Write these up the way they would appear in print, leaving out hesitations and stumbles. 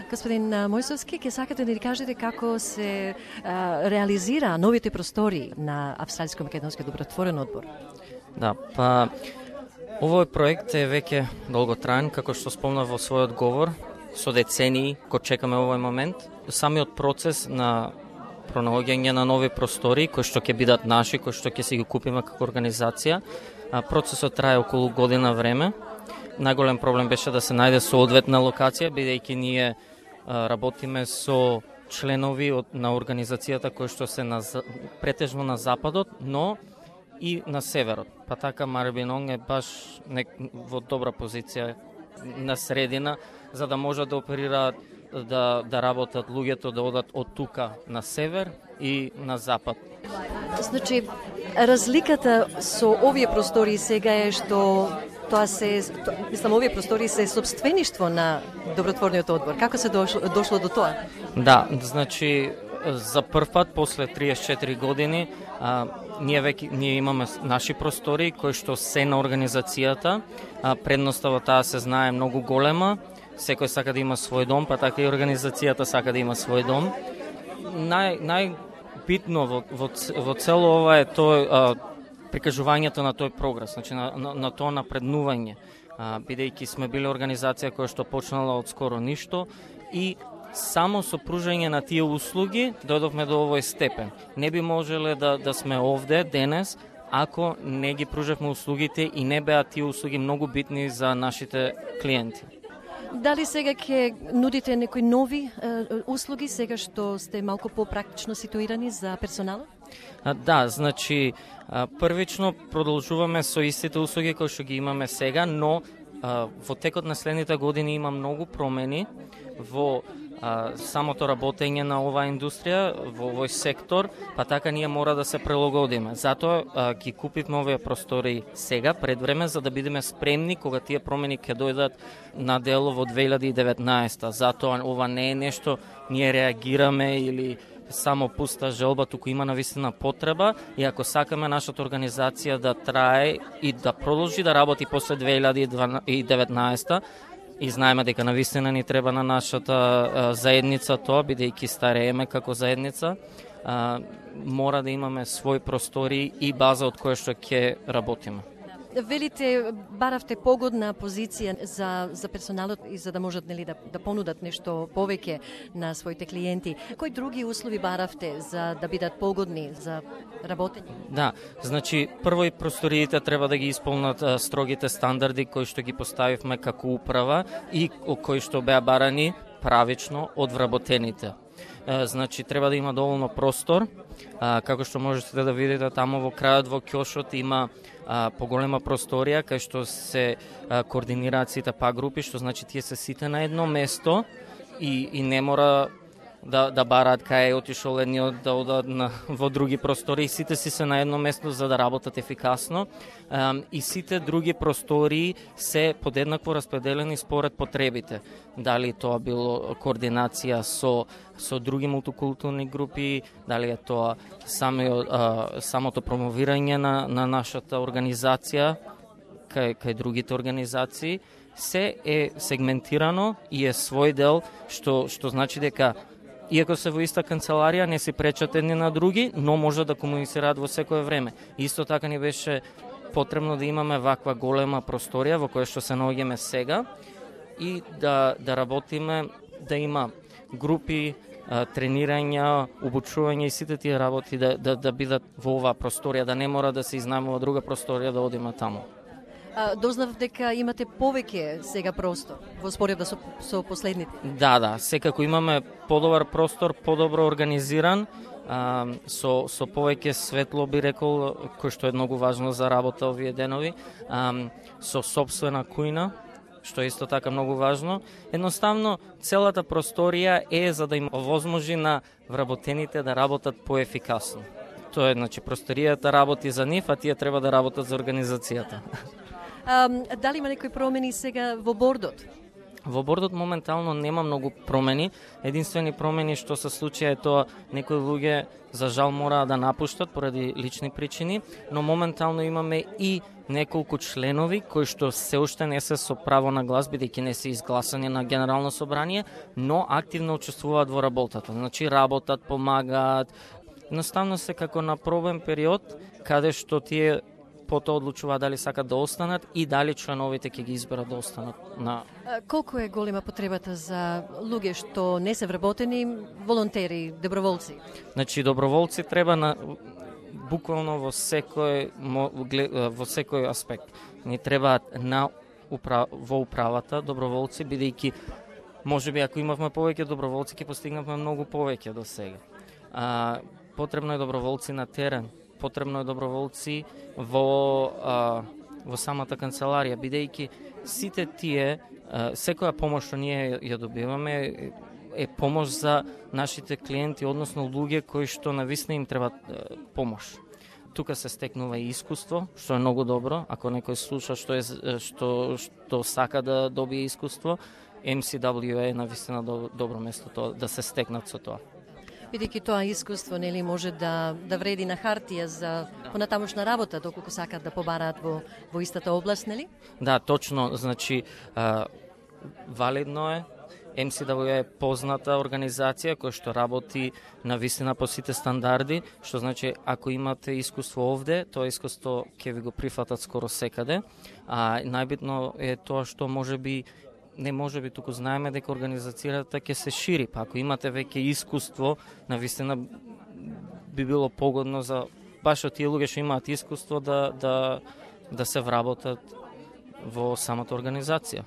Господин Мојсовски, ќе сакате да ни кажете како се реализира новите простори на Австралиско-македонски добротворен одбор? Да, па овој проект е веќе долготраен, како што спомнав во својот говор, со децении кој чекаме овој момент. Самиот процес на пронаоѓање на нови простори кои што ќе бидат наши, кои што ќе си ги купиме како организација, процесот трае околу година време. Најголем проблем беше да се најде соодветна локација, бидејќи ние работиме со членови на организацијата кои што се претежно на западот, но и на северот. Па така Марибинонг е баш во добра позиција на средина, за да можат да оперираат, да работат луѓето, да одат од тука на север и на запад. Значи, разликата со овие простори сега е што овие простори се сопствеништво на добротворниот одбор. Како се дошло до тоа? Да, значи за прв пат после 34 години ние имаме наши простори кои што се на организацијата. Предноста во таа се знае многу голема. Секој сака да има свој дом, па така и организацијата сака да има свој дом. Најбитно во цело ова е тој прикажувањето на тој прогрес, значи на тоа напреднување, бидејќи сме биле организација која што почнала од скоро ништо и само со пружање на тие услуги дојдовме до овој степен. Не би можеле да сме овде денес ако не ги пружевме услугите и не беа тие услуги многу битни за нашите клиенти. Дали сега ќе нудите некои нови услуги, сега што сте малку попрактично ситуирани за персоналот? Да, значи првично продолжуваме со истите услуги кои што ги имаме сега, но во текот на следните години има многу промени во самото работење на оваа индустрија, во овој сектор, па така ние мора да се прилагодиме. Затоа ги купивме овие простори сега, пред време, за да бидеме спремни кога тие промени ќе дојдат на дело во 2019. Затоа ова не е нешто ние реагираме или само пуста желба, туку има навистина потреба и ако сакаме нашата организација да трае и да продолжи да работи после 2019, и знаеме дека навистина ни треба на нашата заедница тоа, бидејќи старееме како заедница, мора да имаме свој простори и база од која што ќе работиме. Велите, баравте погодна позиција за персоналот и за да можат да понудат нешто повеќе на своите клиенти. Кои други услови баравте за да бидат погодни за работење? Да, значи прво и просториите треба да ги исполнат строгите стандарди кои што ги поставивме како управа и кои што беа барани правично од вработените. Значи треба да има доволно простор, како што можете да видите таму во крајот во ќошот има поголема просторија кај што се координираат сите групи, што значи тие се сите на едно место и не мора да бараат кај е отишол едниот да одат во други простори, сите си се на едно место за да работат ефикасно и сите други простори се подеднакво распределени според потребите. Дали тоа било координација со други мултикултурни групи, дали е тоа самото промовирање на нашата организација кај другите организации, се е сегментирано и е свој дел, што значи дека иако се во иста канцеларија, не си пречат едни на други, но може да комуницираат во секое време. Исто така ни беше потребно да имаме ваква голема просторија во која што се наоѓаме сега и да работиме, да има групи, тренирања, обучување и сите тие работи да бидат во оваа просторија, да не мора да се изнајмува друга просторија да одиме таму. Дознав дека имате повеќе сега простор во споредба со последните. Да, секако имаме подобар простор, подобро организиран, со повеќе светло би рекол, кој што е многу важно за работа овие денови, со сопствена кујна, што е исто така многу важно. Едноставно, целата просторија е за да им овозможи на вработените да работат поефикасно. Тоа е, значи, просторијата работи за нив, а тие треба да работат за организацијата. Дали има некои промени сега во бордот? Во бордот моментално нема многу промени. Единствени промени што се случија е тоа некои луѓе за жал мораа да напуштат поради лични причини, но моментално имаме и неколку членови кои што се уште не се со право на глас, бидејќи не се изгласани на Генерално собрание, но активно учествуваат во работата. Значи работат, помагаат. Едноставно се како на пробен период, каде што тие потоа одлучуваат дали сакат да останат и дали членовите ќе ги изберат да останат на... Колку е голема потребата за луѓе што не се вработени, волонтери, доброволци? Значи, доброволци треба на буквално во секој аспект. Ни требаат во управата доброволци, бидејќи можеби ако имавме повеќе доброволци ќе постигнавме многу повеќе до сега. Потребно е доброволци на терен, потребно е доброволци во самата канцеларија, бидејќи сите тие, секоја помош што ние ја добиваме е помош за нашите клиенти, односно луѓе кои што навистина им треба помош. Тука се стекнува и искуство, што е многу добро. Ако некој слуша што сака да добие искуство, MCWA е навистина добро место да се стекнат со тоа. Бидејќи тоа искуство нели може да вреди на хартија за понатамошна работа, доколку сакат да побараат во истата област, нели? Да, точно, значи валидно е. MCWA е позната организација која што работи на вистина по сите стандарди, што значи ако имате искуство овде, тоа искуство ќе ви го прифатат скоро секаде. Најбитно е тоа што можеби туку знаеме дека организацијата ќе се шири, па ако имате веќе искуство, навистина би било погодно за баш од тие луѓе што имаат искуство да се вработат во самата организација.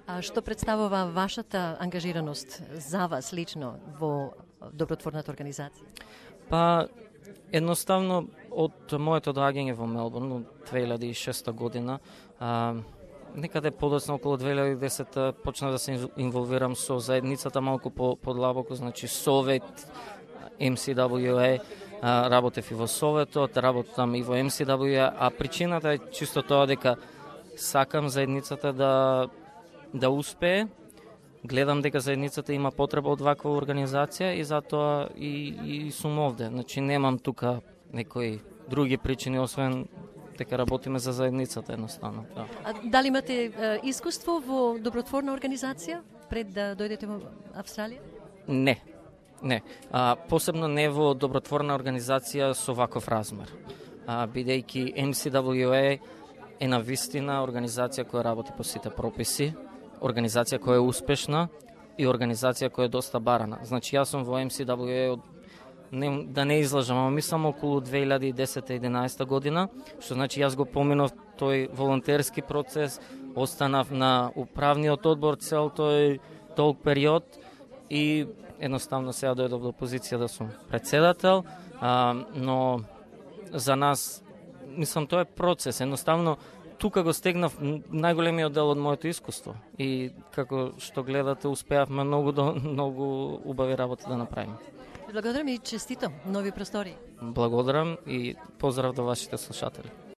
А што представува вашата ангажираност за вас лично во добротворната организација? Па, едноставно, од моето доаѓање во Мелбурн, 2006 година, некаде подоцна околу 2010 почна да се инволвирам со заедницата малку подлабоко, значи Совет, MCWA, работев и во Советот, работам и во MCWA, а причината е чисто тоа дека сакам заедницата да успее, гледам дека заедницата има потреба од ваква организација и затоа и сум овде. Значи немам тука некои други причини освен дека работиме за заедницата едноставно. Да. А дали имате искуство во добротворна организација пред да дојдете во Австралија? Не. Посебно не во добротворна организација со ваков размер. Бидејќи MCWA е навистина организација која работи по сите прописи, организација која е успешна и организација која е доста барана. Значи јас сум во MCWA да не излажам, ама мислам околу 2010-2011 година, што значи јас го поминав тој волонтерски процес, останав на управниот одбор цел тој долг период и едноставно сега дојдов до позиција да сум председател, но за нас, мислам, тоа е процес, едноставно тука го стегнав најголемиот дел од моето искуство и како што гледате успеавме многу убави работи да направиме. Благодарам и честито нови простори. Благодарам и поздрав до вашите слушатели.